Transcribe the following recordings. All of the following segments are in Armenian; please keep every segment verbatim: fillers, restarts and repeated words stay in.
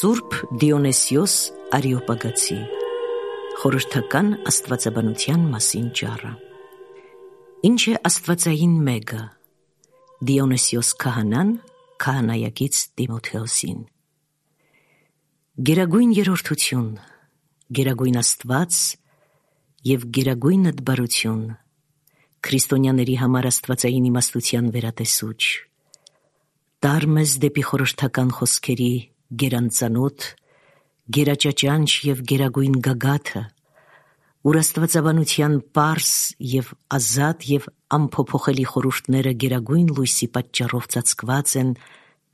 Սուրբ Դիոնիսիոս Արիոպագացի խորհրդական աստվածաբանության մասին ճառը։ Ինչ է աստվածային մեգը, Դիոնիսիոս քահանան քահանայակից Տիմոթեոսին։ Գերագույն երրորդություն, գերագույն աստված և գերագույն ըդբարություն, քրիստոնյաների համար աստվածային իմաստության վերատեսուչ, տար մեզ դեպի խորհրդական խոսքերի գերանծանոթ, գերաճաճանչ և գերագույն գագաթը, ուր աստվածաբանության պարզ և ազատ և անփոփոխելի խորհուրդները գերագույն լույսի պատճառով ծածկված են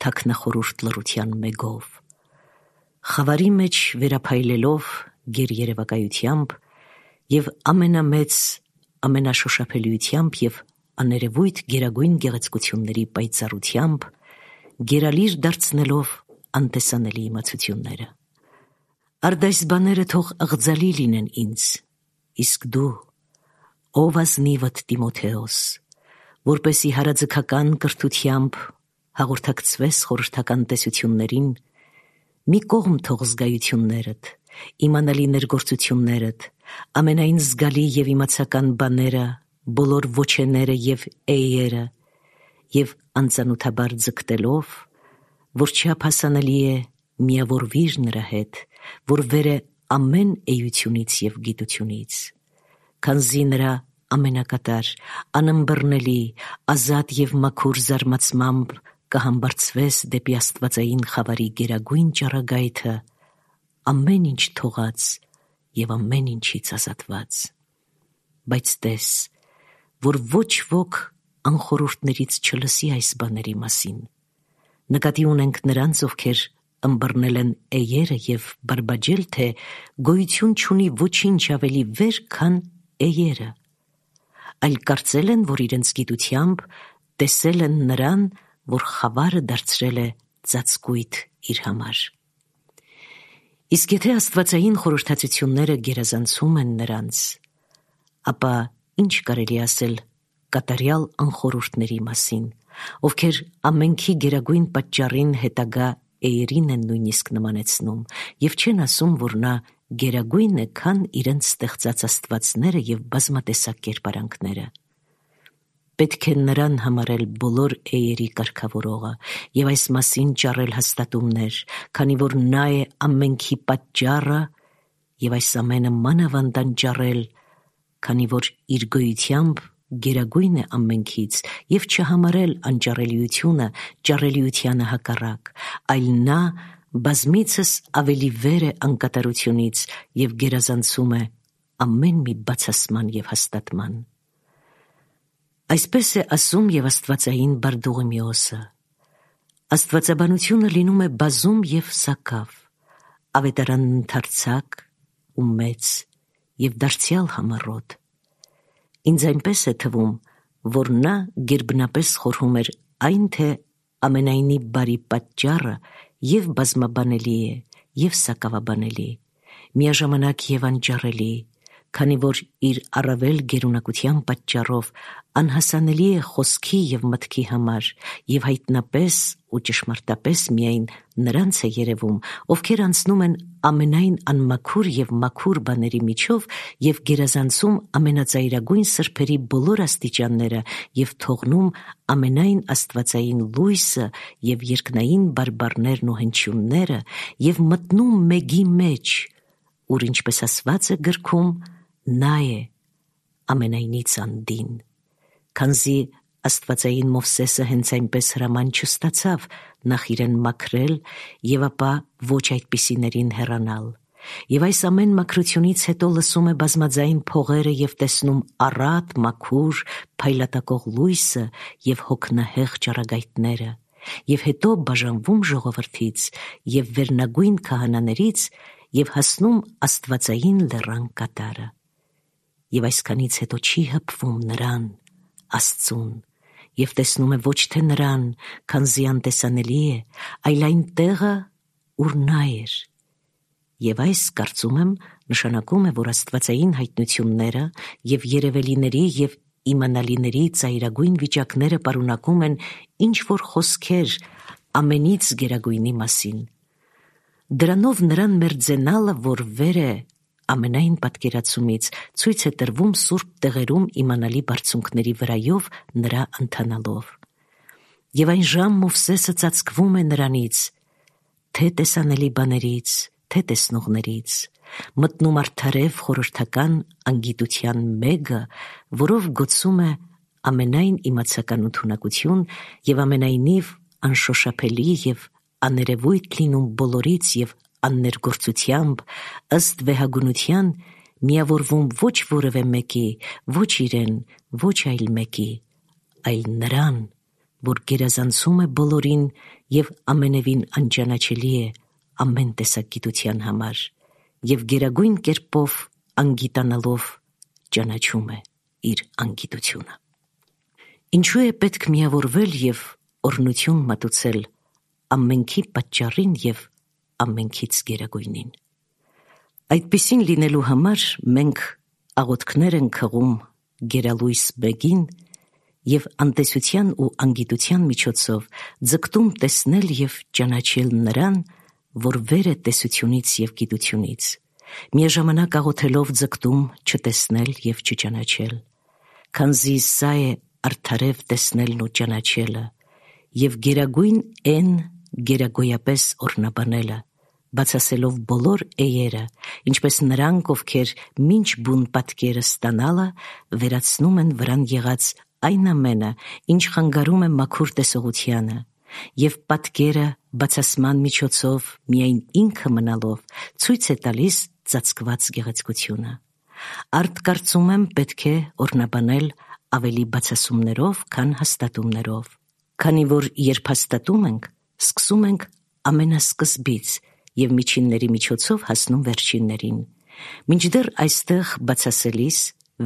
թաքնախորհուրդ լռության մեգով, խավարի մեջ վերափայլելով գերերևակայությամբ և ամենամեծ ամենաշոշափելիությամբ և աներևույթ գերագույն գեղեցկությունների պայծառությամբ, գերալիր դարձնելով անտեսանելի իմացությունները։ Արդ այս բաները թող ըղձալի լինեն ինձ, իսկ դու, ով ազնիվդ Տիմոթեոս, որպեսզի հարաձգական կրթությամբ հաղորդակցվես խորհրդական տեսություններին, մի կողմ թող զգայություններդ, իմանալի ներգործություններդ, ամենայն զգալի և իմացական բաները, բոլոր ոչեները և էйերը, և անծանոթաբար ձգտելով, որ չափ հասանելի է միավորվիր նրա հետ, որ վեր է ամեն էությունից և գիտությունից, քանզի նրա ամենակատար, անըմբռնելի, ազատ և մաքուր զարմացմամբ կհամբարձվես դեպի աստվածային խավարի գերագույն ճառագայթը, ամեն ինչ թողած և ամեն ինչից ազատված։ Բայց տես, որ ոչ ոք անխորհուրդներից չլսի այս բաների մասին, նկատի ունենք նրանց, ովքեր ըմբռնել են էйերը և բարբաջել, թե գոյություն չունի ոչինչ ավելի վեր, քան էйերը, այլ կարծել են, որ իրենց գիտությամբ տեսել են նրան, որ խավարը դարձրել է ծածկույթ իր համար։ Իսկ եթե աստվածային խորհրդածությունները գերազանցում են նրանց, ապա ինչ կարելի ասել կատարյալ անխորհուրդների մասին, ովքեր ամենքի գերագույն պատճառին հետագա էйերին են նույնիսկ նմանեցնում և չեն ասում, որ նա գերագույն է, քան իրենց ստեղծած աստվածները և բազմատեսակ կերպարանքները։ Պետք է նրան համարել բոլոր էйերի կարգավորողը և այս մասին ճառել հաստատումներ, քանի որ նա է ամենքի պատճառը և այս ամենը մանավանդ անճառել, քանի որ իր գոյությամբ գերագույն է ամենքից և չհամարել անճառելիությունը ճառելիությանը հակառակ, այլ նա բազմիցս ավելի վեր է անկատարությունից և գերազանցում է ամեն մի բացասման և հաստատման։ Այսպես է ասում և աստվածային Բարդուղիմեոսը. աստվածաբանությունը լինում է բազում և սակավ, ավետարանն ընդարձակ ու մեծ և դարձյալ համառոտ։ Ինձ այնպես է թվում, որ նա գերբնապես խորհում էր այն, թե ամենայնի բարի պատճառը և բազմաբանելի է, և սակավաբանելի, միաժամանակ և անճառելի, քանի որ իր առավել գերունակության պատճառով անհասանելի է խոսքի և մտքի համար և հայտնապես ու ճշմարտապես միայն նրանց է երևում, ովքեր անցնում են ամենայն անմաքուր և մաքուր բաների միջով և գերազանցում ամենածայրագույն սրբերի բոլոր աստիճանները և թողնում ամենայն աստվածային լույսը և երկնային բարբառներն ու հնչյունները և մտնում մեգի մեջ, ուր ինչպես ասված է գրքում, նա է ամենայնից անդին, քանզի աստվածային Մովսեսը հենց այնպես հրաման չստացավ նախ իրեն մաքրել և ապա ոչ այդպիսիներին հեռանալ, և այս ամեն մաքրությունից հետո լսում է բազմաձայն փողերը և տեսնում առատ, մաքուր, փայլատակող լույսը և հոգնահեղ ճառագայթները, և հետո բաժանվում ժողովրդից և վերնագույն քահանաներից և հասնում աստվածային լեռան կատարը, և այսքանից հետո չի հպվում նրան, Աստծուն, և տեսնում է ոչ թե նրան, քանզի անտեսանելի է, այլ այն տեղը, ուր նա էր, և այս, կարծում եմ, նշանակում է, որ աստվածային հայտնությունները և երևելիների և իմանալիների ծայրագույն վիճակները պարունակում են ինչ-որ խոսքեր ամենից գերագույնի մասին, Դրանով նրան մերձենալը, որ վեր է ամենայն պատկերացումից, ցույց է տրվում սուրբ տեղերում իմանալի բարձունքների վրայով նրա ընթանալով։ Եվ այն ժամ Մովսեսը ծածկվում է նրանից, թե տեսանելի բաներից, թե տեսնողներից, մտնում արդարև խորհրդական անգիտության մեգը, որով գոցում է ամենայն իմացական ութունակություն և ամենայնիվ անշոշափելի և աներևույթ լինում բոլորից և աններգործությամբ, ըստ վեհագունության, միավորվում ոչ որևէ մեկի, ոչ իրեն, ոչ այլ մեկի, այլ նրան, որ գերազանցում է բոլորին և ամենևին անճանաչելի է ամեն տեսակ գիտության համար, և գերագույն կերպով անգիտանալով ճանաչում է իր անգիտությունը։ Ինչու է պետք միավորվել և օրհնություն մատուցել ամենքի պատճառին և ամենքից գերագույնին։ Այդպիսին լինելու համար մենք աղոթքներ ենք հղում գերալույս մեկին և անտեսության ու անգիտության միջոցով ձգտում տեսնել և ճանաչել նրան, որ վեր է տեսությունից և գիտությունից, միաժամանակ աղոթելով ձգտում չտեսնել և չճանաչել, քանզի սա է արդարև տեսնելն ու ճանաչելը և գերագույն են գերագոյապես օրհնաբանելը, բացասելով բոլոր էերը, ինչպես նրանք, ովքեր մինչ բուն պատկերը ստանալը վերացնում են վրան եղած այն ամենը, ինչ խանգարում է մաքուր տեսողությանը, և պատկերը բացասման միջոցով միայն ինքը մնալով ցույց է տալիս ծածկված գեղեցկությունը։ Արդ կարծում եմ պետք է օրհնաբանել ավելի բացասումներով, քան հաստատումներով, քանի որ երբ հաստատում ենք, սկսում ենք ամենասկզբից և միջինների միջոցով հասնում վերջիններին, մինչդեռ այստեղ բացասելիս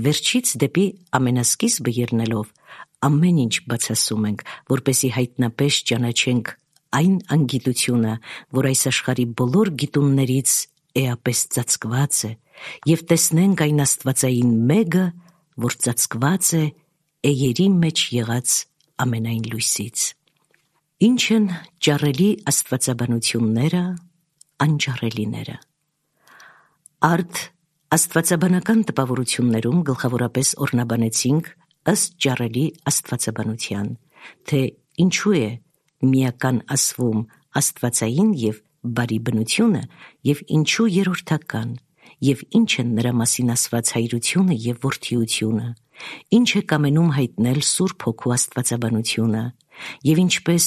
վերջից դեպի ամենասկիզբը ելնելով ամեն ինչ բացասում ենք, որպեսզի հայտնապես ճանաչենք այն անգիտությունը, որ այս աշխարհի բոլոր գիտուններից էապես ծածկված է, և տեսնենք այն աստվածային մեգը, որ ծածկված է էերի մեջ եղած ամենայն լույսից։ Ինչ են ճառելի աստվածաբանությունները, անճառելիները։ Արդ աստվածաբանական տպավորություններում գլխավորապես օրհնաբանեցինք ըստ ճառելի աստվածաբանության, թե ինչու է միական ասվում աստվածային և բարի բնությունը և ինչու երրորդական, և ինչ են նրա մասին ասված հայրությունը և որդիությունը, ինչ է կամենում հայտնել Սուրբ Հոգու աստվածաբանությունը, և ինչպես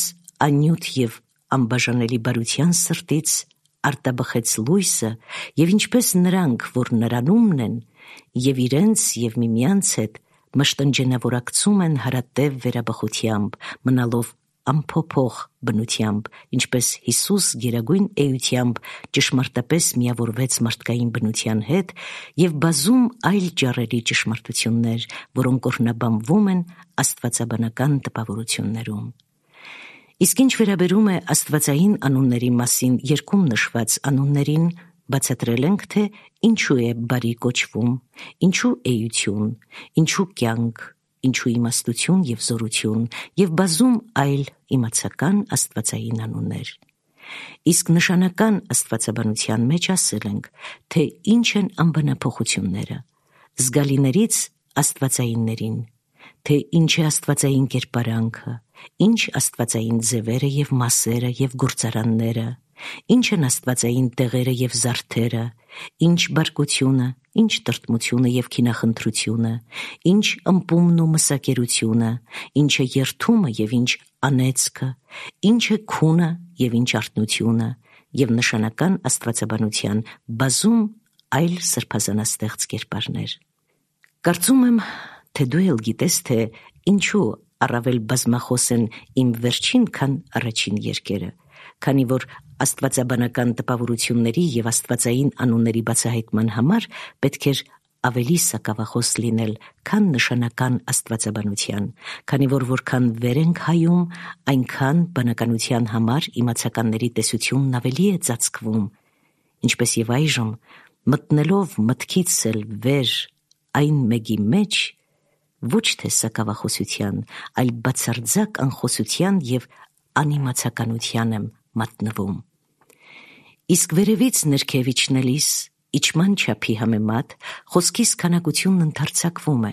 անյութ և անբաժանելի բարության սրտից արտաբխեց լույսը, և ինչպես նրանք, որ նրանումն են, և իրենց և միմյանց հետ մշտնջենավորակցում են հարատև վերաբխությամբ, մնալով անփոփոխ բնությամբ, ինչպես Հիսուս գերագույն էությամբ ճշմարտապես միավորվեց մարդկային բնության հետ, և բազում այլ ճառելի ճշմարտություններ, որոնք օրհնաբանվում են աստվածաբանական տպավորություններում։ Իսկ ինչ վերաբերում է աստվածային անունների մասին երգում նշված անուններին, բացատրել ենք, թե ինչու է բարի կոչվում, ինչու էություն, ինչու կյանք, ինչու իմաստություն և զորություն և բազում այլ իմացական աստվածային անուններ։ Իսկ նշանական աստվածաբանության մեջ ասել ենք, թե ինչ են անբնափոխությունները, զգալիներից աստվածայիններին, թե ինչ է աստվածային կերպարանքը, ինչ աստվածային ձևերը և մասերը և գործարանները, ինչ են աստվածային տեղերը և զարդերը, ինչ բարկությունը, ինչ տրտմությունը և քինախնդրությունը, ինչ ըմպումն ու մսակերությունը, ինչ է երդումը և ինչ անեծքը, ինչ է քունը և ինչ արթնությունը, և նշանական աստվածաբանության բազում այլ սրբազանաստեղծ կերպարներ։ Կարծում եմ, թե դու էլ գիտես, թե ինչու առավել բազմախոս են իմ վերջին, քան առաջին երկերը, քանի որ աստվածաբանական տպավորությունների և աստվածային անունների բացահայտման համար պետք էր ավելի սակավախոս լինել, քան նշանական աստվածաբանության, քանի որ որքան վեր ենք հայում, այնքան բանականության համար իմացականների տեսությունն ավելի է ծածկվում, ինչպես և այժմ, մտնելով մտքից էլ վեր այն մեկի մեջ, ոչ թե սակավախոսության, այլ բացարձակ անխոսության և անիմացականության եմ մատնվում։ Իսկ վերևից ներքև իջնելիս, իջման չափի համեմատ, խոսքիս քանակությունն ընդարձակվում է,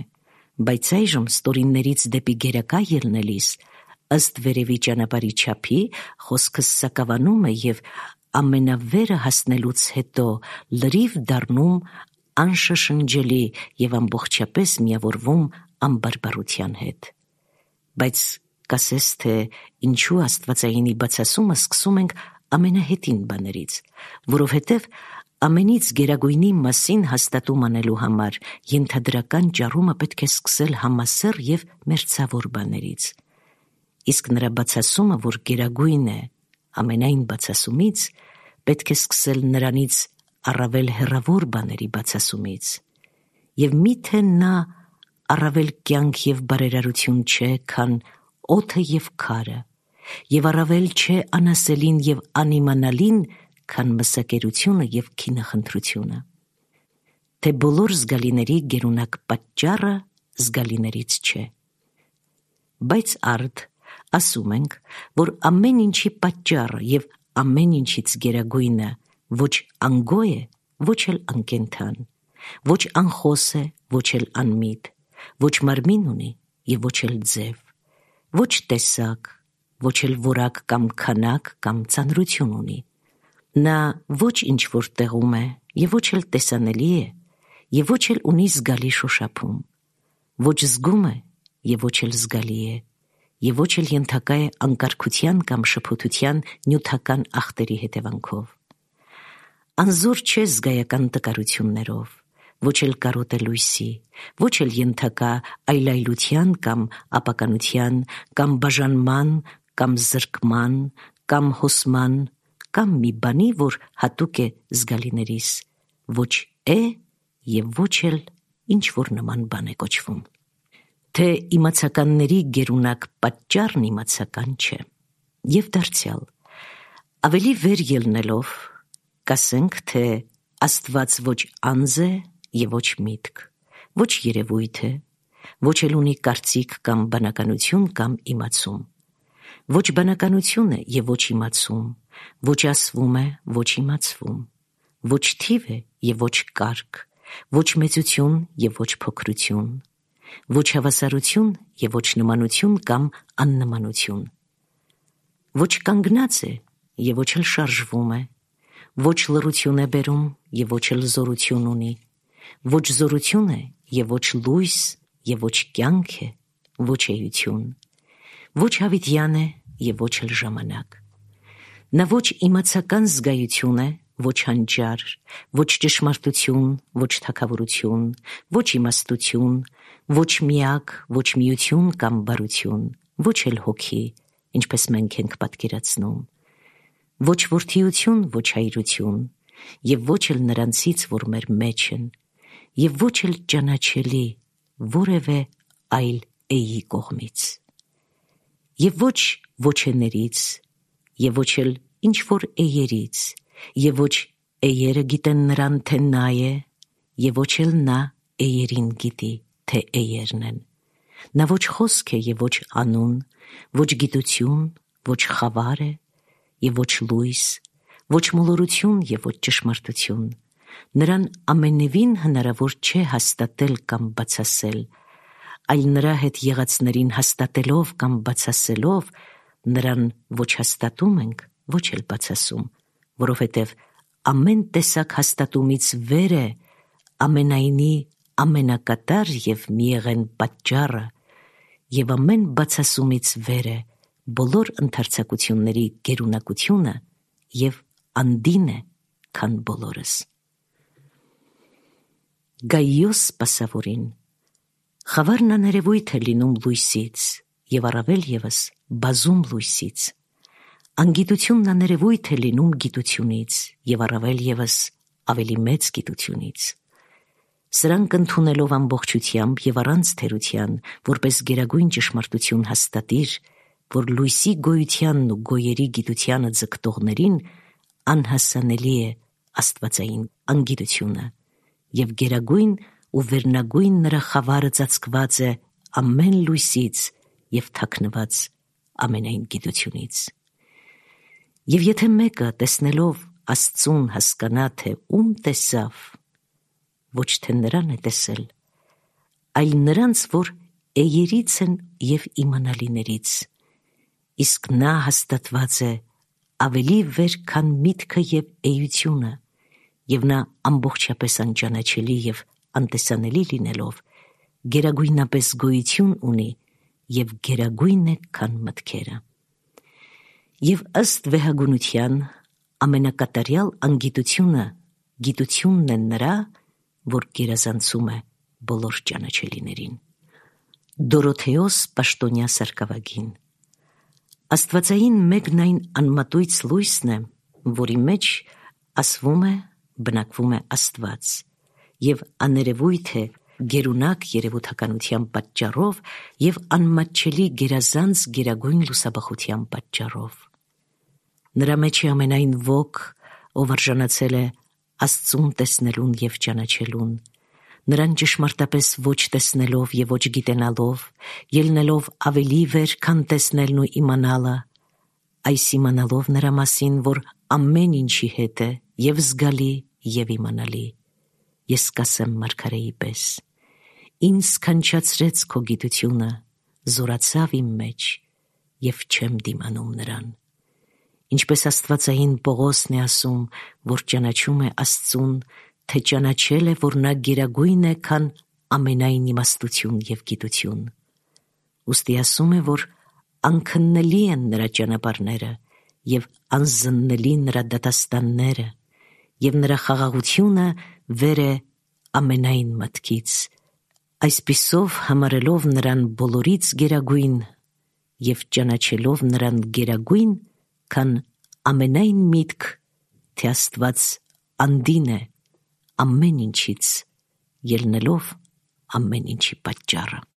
բայց այժմ ստորիններից դեպի գերակա ելնելիս, ըստ վերևի ճանապարհի չափի, խոսքս սակավանում է և ամենավերը հասնելուց հետո լրիվ դառնում անշշնջելի և ամբողջապես միավորվում անբարբարության հետ։ Բայց կասես, թե ինչու աստվածայինի բացասումը սկսում ենք ամենահետին բաներից, որովհետև ամենից գերագույնի մասին հաստատում անելու համար ենթադրական ճառումը պետք է սկսել համասեռ և մերձավոր բաներից, իսկ նրա բացասումը, որ գերագույն է ամենայն բացասումից, պետք է սկսել նրանից առավել հեռավոր բաների բացասումից, և միթե նա առավել կյանք և բարերարություն չէ, քան օդը և քարը, և առավել չէ անասելին և անիմանալին, քան մսակերությունը և քինախնդրությունը, թե բոլոր զգալիների գերունակ պատճառը զգալիներից չէ։ Բայց արդ ասում ենք, որ ամեն ինչի պատճառը և ամեն ինչից գերագույնը ոչ անգոյ է, ոչ էլ անկենդան, ոչ անխոս է, ոչ էլ անմիտ, ոչ մարմին ունի և ոչ էլ ձև, ոչ տեսակ, ոչ էլ որակ կամ քանակ կամ ծանրություն ունի։ Նա ոչ ինչ-որ տեղում է և ոչ էլ տեսանելի է և ոչ էլ ունի զգալի շոշափում, ոչ զգում է և ոչ էլ զգալի է և ոչ էլ ենթակա է անկարգության կամ շփոթության նյութական ախտերի հետևանքով։ Անզոր չէ զգայական տկարություններով, ոչ էլ կարոտ է լույսի, ոչ էլ ենթակա այլայլության կամ ապականության, կամ բաժանման, կամ զրկման, կամ հոսման, կամ մի բանի, որ հատուկ է զգալիներիս, ոչ է և ոչ էլ ինչ-որ նման բան է կոչվում։ Թե իմացականների գերունակ պատճառն իմացական չէ։ Եվ դարձյալ, ավելի վեր ելնելով, կասենք, թե Աստված ոչ անձ է և ոչ միտք, ոչ երևույթ է, ոչ էլ ունի կարծիք կամ բանականություն կամ իմացում, ոչ բանականություն է և ոչ իմացում, ոչ ասվում է, ոչ իմացվում, ոչ թիվ է և ոչ կարգ, ոչ մեծություն և ոչ փոքրություն, ոչ հավասարություն և ոչ նմանություն կամ աննմանություն, ոչ կանգնած է և ոչ էլ շարժվում է, ոչ լռություն է բերում և ոչ էլ զորություն ունի, ոչ զորություն է և ոչ լույս և ոչ կյանք է, ոչ էություն, ոչ հավիտյան է և ոչ էլ ժամանակ։ Նա ոչ իմացական զգայություն է, ոչ հանճար, ոչ ճշմարտություն, ոչ թագավորություն, ոչ իմաստություն, ոչ միակ, ոչ միություն կամ բարություն, ոչ էլ հոգի, ինչպես մենք ենք պատկերացնում, ոչ որդիություն, ոչ հայրություն, և ոչ էլ նրանցից, որ մեր մեջ են, և ոչ էլ ճանաչելի որևէ այլ էի կողմից, և ոչ ոչեներից, և ոչ էլ ինչ-որ էներից, և ոչ էերը գիտեն նրան, թե նա է, և ոչ էլ նա էերին գիտի, թե էերն են։ Նա ոչ խոսք է և ոչ անուն, ոչ գիտություն, ոչ խավար է և ոչ լույս, ոչ մոլորություն և ոչ ճշմարտություն։ Նրան ամենևին հնարավոր չէ հաստատել կամ բացասել, այլ նրա հետ եղածներին հաստատելով կամ բացասելով, նրան ոչ հաստատում ենք, ոչ էլ բացասում, որովհետև ամեն տեսակ հաստատումից վեր է ամենայնի ամենակատար և միեղեն պատճառը, և ամեն բացասումից վեր է բոլոր ընդարձակությունների գերունակությունը և անդին է, քան բոլորս։ Գայոս սպասավորին խավարն աներևույթ է լինում լույսից և առավել ևս բազում լույսից, անգիտությունն աներևույթ է լինում գիտությունից և առավել ևս ավելի մեծ գիտությունից։ Սրանք ընդունելով ամբողջությամբ և առանց թերության, որպես գերագույն ճշմարտություն հաստատիր, որ լույսի գոյությանն ու գոյերի գիտությանը ձգտողներին անհասանելի է աստվածային անգիտությունը, և գերագույն ու վերնագույն նրա խավարը ծածկված է ամեն լույսից և թաքնված ամենայն գիտությունից։ Եվ եթե մեկը տեսնելով Աստծուն հասկանա, թե ում տեսավ, ոչ թե նրան է տեսել, այլ նրանց, որ էյերից են և իմանալիներից, իսկ նա հաստատված է ավելի վեր, քան միտքը և էությունը, և նա ամբողջապես անճանաչելի և անտեսանելի լինելով, գերագույնապես գոյություն ունի և գերագույն է, քան մտքերը։ Եվ ըստ վեհագունության ամենակատարյալ անգիտությունը գիտությունն է նրա, որ գերազանցում է բոլոր ճանաչելիներին։ Դորոթեոս Պաշտոնյա Սարգսակյան։ Աստվածային մեկն այն անմատույց լույսն է, որի մեջ ասվում է, բնակվում է Աստված, և աներևույթ է գերունակ երևութականության պատճառով և անմատչելի գերազանց գերագույն լուսաբախության պատճառով։ Նրա մեջ է ամենայն ոք, ով արժանացել է Աստծուն տեսնելուն և ճանաչելուն, նրան ճշմարտապես ոչ տեսնելով և ոչ գիտենալով, ելնելով ավելի վեր, քան տեսնելն ու իմանալը, այս իմանալով նրա մասին, որ ամեն ինչի հետ է, և զգալի, և իմանալի, ես կասեմ մարգարեի պես. ինձ սքանչացրեց քո գիտությունը, զորացավ իմ մեջ, և չեմ դիմանում նրան։ Ինչպես աստվածային Պողոսն է ասում, որ ճանաչում է Աստծուն, թե ճանաչել է, որ նա գերագույն է, քան ամենայն իմաստություն և գիտություն։ Ուստի ասում է, որ անքննելի են նրա ճանապարհները և անզննելի նրա դատաստանները, և նրա խաղաղությունը վեր է ամենայն մտքից, այսպիսով համարելով նրան բոլորից գերագույն և ճանաչելով նրան գերագույն, քան ամենայն միտք, թե Աստված անդին է ամեն ինչից, ելնելով ամեն ինչի պատճառը։